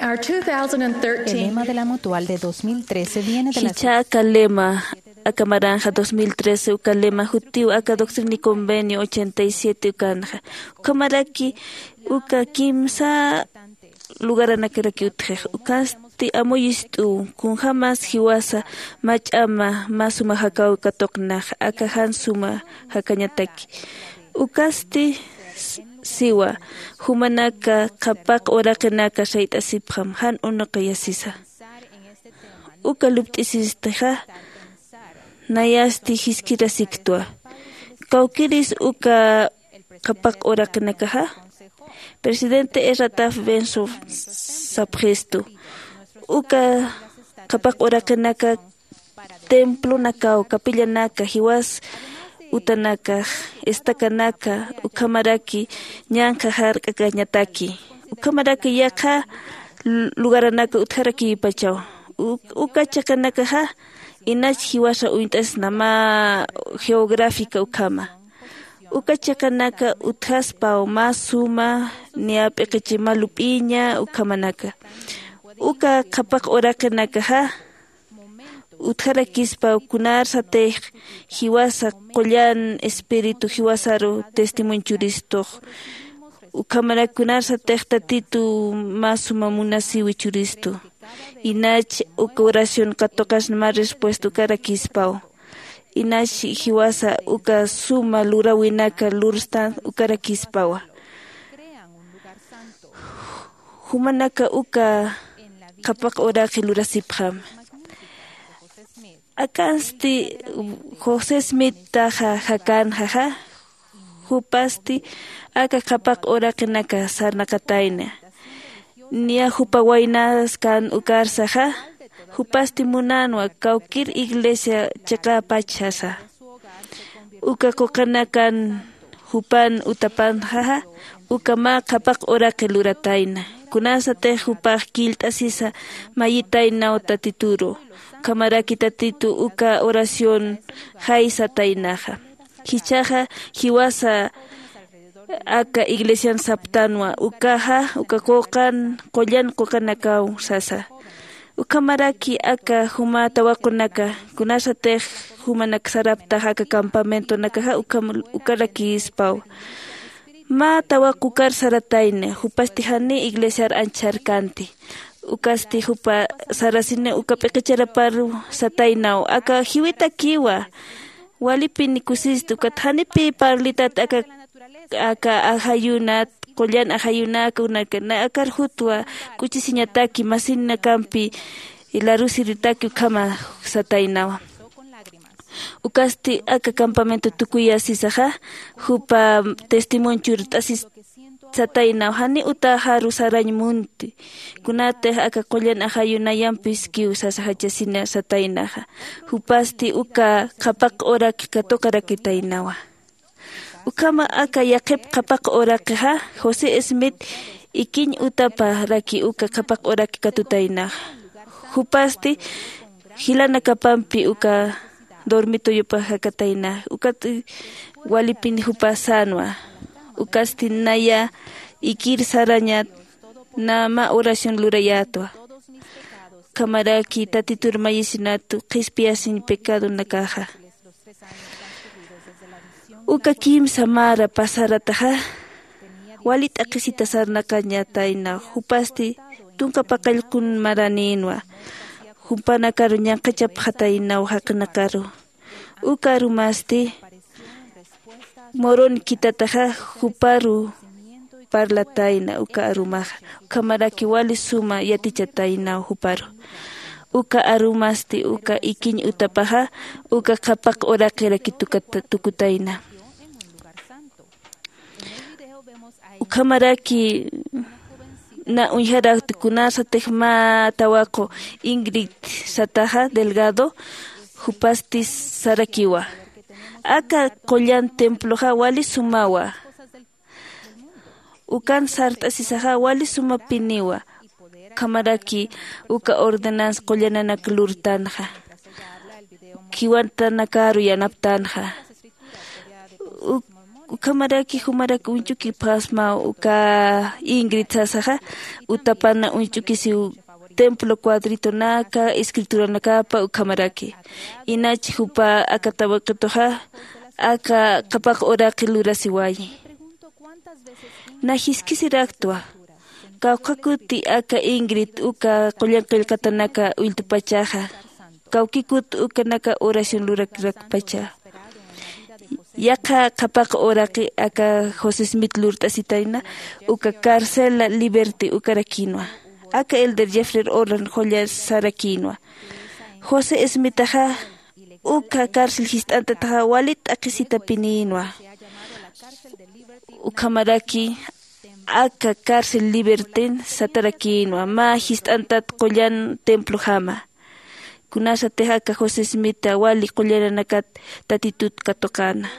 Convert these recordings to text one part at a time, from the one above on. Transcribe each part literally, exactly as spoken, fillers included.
Our two thousand thirteen. El lema de la Mutual de dos mil trece viene de la... Jichha aka lema, aka maranxa dos mil trece uka lema jutiw aka Doctrina y Convenio ochenta y siete ukanxa. Ukhamaraki uka kimsa lugaranakaraki utjix. Ukasti amuyist'u kunjämas jiwasa mach'ama mä suma jakaw katuqnax, aka jan suma jakañataki. Ukasti s-, siwa, jumanaka qhapaq uraqinaka sayt'asipxam, jan unuqiyasisa. Uka lupt'isistixa, nayasti jiskirasiktwa. Kawkiris uka qhapaq uraqinakaxa, presidente Ezra Taft Benson sapxistu. Uka qhapaq uraqinaka templonakaw, capillanaka, jiwas utanakax, estacanaka, ukhamaraki ñanqha jark'akañataki. Ukhamaraki yaqha lu-, lugaranaka utjarakïpachaw. U-, uka chiqanakaxa, inach jiwasa uñt'asna mä geográfica ukhama. Uka chiqanaka utjaspaw mä suma, niya p'iqichi mä lup'iña ukhamanaka. Uka qhapaq uraqinakaxa, utjarakispaw kunarsatix jiwasa qullan espíritu jiwasaru testimonio churistux. Ukhamarak kunarsatix Tatitu mä suma munasiwi churistu. Inach uka oración katuqasna mä respuesta ukarakispaw. Inach jiwasa uka suma luräwinaka lurstan ukarakispawa. Jumanaka uka qhapaq uraqi lurasipxam. Akansti José Smith taxa jakanxaxa, jupasti aka qhapaq uraqinaka sarnaqatayna. Niya jupa waynas kan ukarsaxa, jupasti munanwa kawkir iglesia chiqäpach sasa. Uka quqanakan jupan utapanxaxa, uka mä qhapaq uraqi luratayna. Kunasatix jupax killt'asisa mayitaynaw Tatituru. Ukhamaraki Tatitu uka oración jaysataynaxa. Jichhaxa jiwasa aka iglesian saptanwa, ukaxa, uka quqan, qullan quqanakaw sasa. Ukhamaraki aka juma tawaqunaka, kunasatix jumanak saraptax aka campamentonakaxa, ukham-, ukarakispaw. Mä tawaq ukar saratayna, jupasti janiw iglesiar anchharkanti. Ukasti jupa sarasini uka p'iqicharaparu sataynaw, aka jiwitakiwa. Walipini kusistu, ukat janipï parlitat aka, aka ajayunat, qullan ajayunaka, unaka, na akar jutwa k'uchisiñataki, masinakampi larusiritaki ukhama sataynawa. Ukasti aka campamento tukuyasisaxa, jupa testimonio churt'asis sataynaw, janiw utaxaru sarañ munti. Kunatix aka qullan ajayunayampiskiw sasa jachasina sataynaxa. Jupasti uka qhapaq uraqi katuqarakitaynawa. Ukhama aka yaqhip qhapaq uraqixa, José Smith ikiñ utaparaki uka qhapaq uraqi katutaynaxa. Jupasti jilanakapampi uka dormitoyupax jakatayna, ukat walipin jupa sänwa. Ukasti naya ikir sarañat, na mä oración lurayätwa. Ukhamaraki Tatitur mayisinatu qhispiyasiñ pecadonakaxa. Uka kimsa mara pasarataxa, wali t'aqhisita sarnaqañatayna, jupasti tunka paqallqun maranïnwa, jumpanakaru ñanqhachapxataynaw jaqinakaru. Uka arumasti Morón khitataxa juparu parlatayna uka arumaxa, ukhamaraki wali suma yatichataynaw juparu. Uka arumasti uka ikiñ utapaxa, uka qhapaq uraqiraki tukata-, tukutayna. Ukhamaraki na uñjarakti kunasatix mä tawaqu Ingrid sataxa Delgado, jupasti sarakiwa. Aka qullan temploxa wali sumawa. Ukan sart'asisaxa wali sumapiniwa. Ukhamaraki uka ordenanza qullananak lurtanxa. Khiwatanakaru yanaptanxa. Uk-, Ukhamaraki jumarak uñch'ukipxasma uka Ingrid sasaxa, utapana uñch'ukisiw templo cuadritonaka escrituranakapa ukhamaraki. Inach jupa aka tawaqituxa aka qhapaq uraqi lurasiwayi. Na jiskisiraktwa kawkhakuti aka Ingrid uka qullan qillqatanaka ulltupachaxa, kawkikut ukanaka oración lurakirakpacha. Yaqha qhapaq uraqi aka José Smith lurt'asitayna uka carcela liberty ukarakïnwa. Aka elder Jeffrey Holland qullan sarakïnwa. José Smithaxa uka cárcel jist'antataxa wali t'aqhisitapinïnwa. Ukhamaraki aka cárcel libertyn satarakïnwa mä jist'antat qullan templojama. Kunasatix aka José Smitha wali qullananakat Tatitut katuqäna.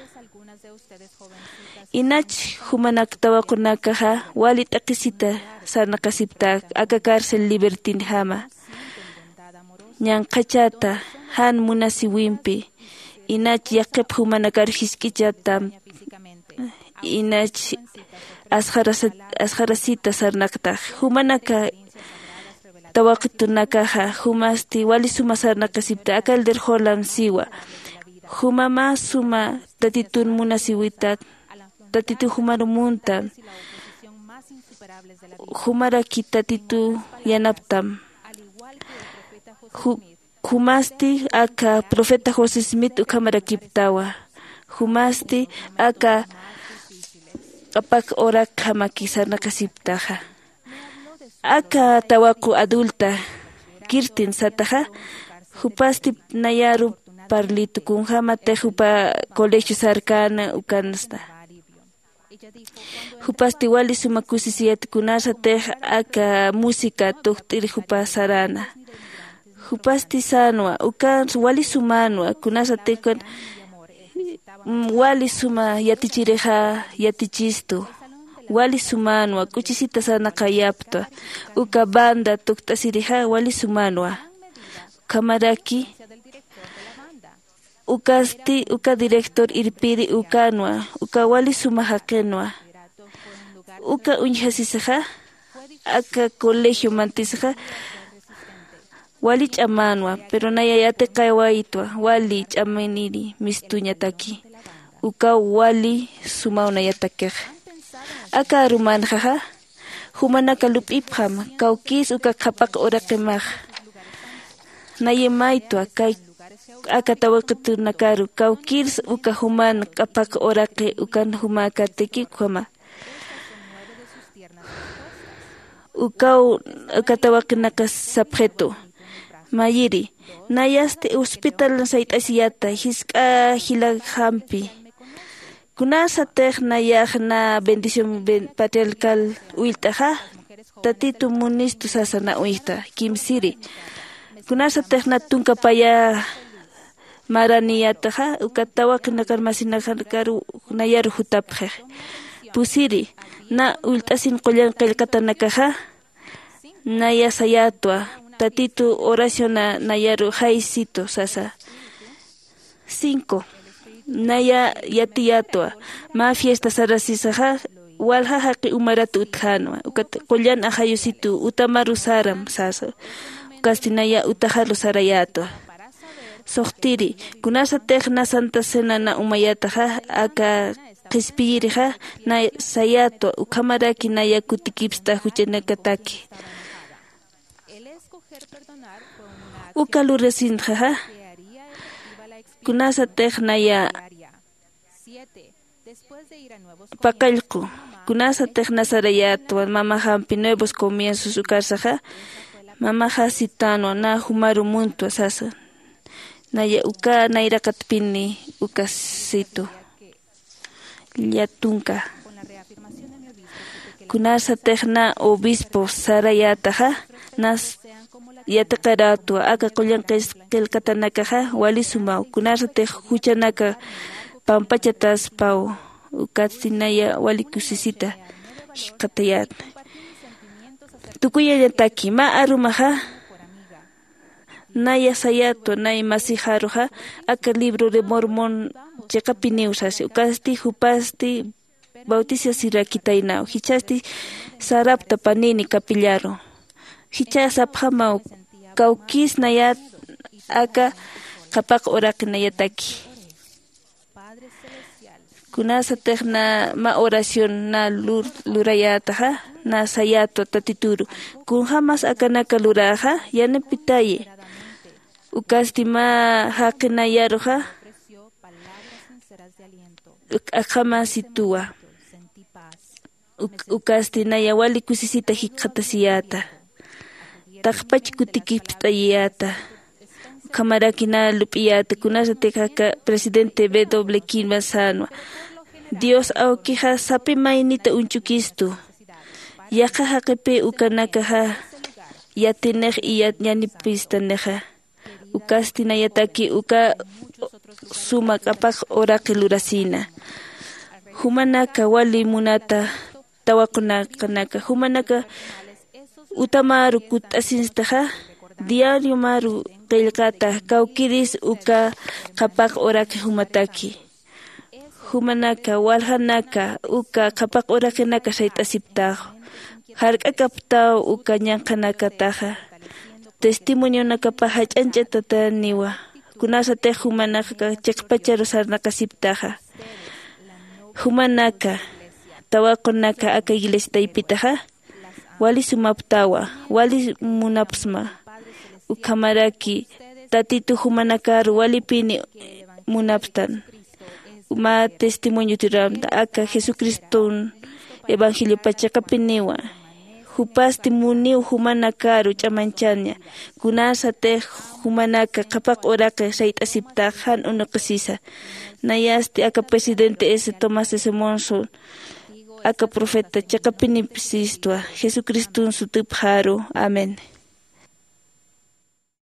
Inach jumanak tawaqunakaxa wali t'aqhisita sarnaqasipta aka cárcel libertynjama. Ñanqhachata jan munasiwimpi inach yaqhip jumanakar jisk'ichatam inach asxarasita sarnaqtax. Jumanaka tawaqitunakaxa jumasti wali suma sarnaqasipta aka elder Holland siwa. Juma mä suma Tatitun munasiwitat, Tatitu jumaru muntam. Jumaraki Tatitu yanaptam. Jumasti aka profeta José Smith ukhamarakiptawa. Jumasti aka q'apak uraqjamaki sarnaqasiptaxa. Aka tawaqu adulta Kirtin sataxa, jupasti nayaru parlitu kunjämatix jupa colegio sarkäna ukansta. Jupasti wali suma kusisiyat kunasatix aka música tukt'iri jupa saräna. Jupasti sänwa ukan wali sumänwa kunasatix ukan wali suma yatichirixa yatichistu. Wali sumänwa k'uchisita sarnaqayaptwa. Uka banda tukt'asirixa wali sumänwa. Ukhamaraki ukasti uka director irpiri ukänwa uka wali suma jaqinwa. Uka uñjasisaxa aka colegio mantisixa wali ch'amänwa pero naya yatiqawaytwa wali ch'aminiri mistuñataki. Ukaw wali sumaw nayatakixa. Aka arumänxaxa jumanaka lup'ipxam kawkïrs uka qhapaq uraqimax. Nayimaytwa kay aka tawaqitunakaru kawkïrs uka juman q'apaq uraqi ukan jumäkatiki ukhama. Ukaw uka tawaqinaka sapxitu mayiri nayasti hospital sayt'asiyata jisk'a jilakxampi. Kunasatix nayax na bendición patriarcal ullt'axa tatitu munistu sasa na uñjta kimsiri. Kunasatix na tunka paya maraniyataxa uka tawaqinakar masinakar nayaru jutapxix. Pusiri na ullt'asin qullan qillqatanakaxa naya sayätwa tatitu oraciona nayaru jaysitu sasa. Cinco naya yatiyätwa mä fiesta sarasisaxa walja jaqi umarat utjänwa ukat qullan ajayusitu utamaru saram sasa. Ukasti naya utaxaru sarayätwa. Suxtiri kunasatix na santa cena na umayataxa aka qhispiyirixa na sayätwa ukhamaraki naya kutikipsta juchanakataki. Uka lurasintxaxa kunasatix naya paqallqu kunasatix na sarayätwa mamaxampi nuevos comienzos ukarsaxa. Mamaxa sitänwa na jumaru muntwa sasa. Naya uka nayraqatpini ukasitu llatunka. Kunasatix na obispo sarayätaxa nas yatiqarätwa aka qullan qillqatanakaxa wali sumaw kunasatix juchanaka pampachataspaw. Ukatsti naya wali kusisita jikxatayätna. Tukuyañataki mä arumaxa Naya sayatwa nay masixaruxa aka libro de mormon chiqapiniw sasi ukasti jupasti bautisasirakitaynaw jichhasti sarapta panini kapillaru. Jichha sapxamaw kawkis nayat aka qhapaq uraqi nayataki kunasatix na mä oración na lurayätaxa na sayätwa tatituru kunjämas akanaka luräxa yanipitayi ukasti mä jaqinayaruxa akhamasituwa. Ukasti naya wali kusisita jikxatasiyäta taqpach kutikipt'ayiyäta. Ukhamaraki na lup'iyäta kunasatix aka presidente b w kinman sänwa dios awkixa sapi maynita uñch'ukistu. Yaqha jaqipï ukanakaxa yatinix iyanipistanixa ukasti nayataki uka suma q'apaq uraqi lurasïna. Jumanaka wali munata tawaqunaqanaka jumanaka utamäru kutt'asinstaxa diariomaru qillqata kawkiris uka qhapaq uraqi jumataki. Jumanaka waljanaka uka qhapaq uraqinaka sayt'asiptaxwa jark'akaptaw uka ñanqhanakataxa testimonionakapa jach'añch'atataniwa. Kunasatix jumanaka chiqpacharu sarnaqasiptaxa jumanaka tawaqunaka aka iglesia taypitaxa wali sumaptawa wali munapsma. Ukhamaraki tatitu jumanakaru walipini munapstan mä testimonio tiramta aka jesucriston evangeliopa chiqapiniwa. Jupasti muniw jumanakaru ch'amañchaña kunasatix jumanaka qhapaq uraqi sayt'asiptax jan unuqisisa. Nayasti aka presidente s tomás s monson aka profeta chiqapinip sistwa jesucriston sutupxaru. Amén.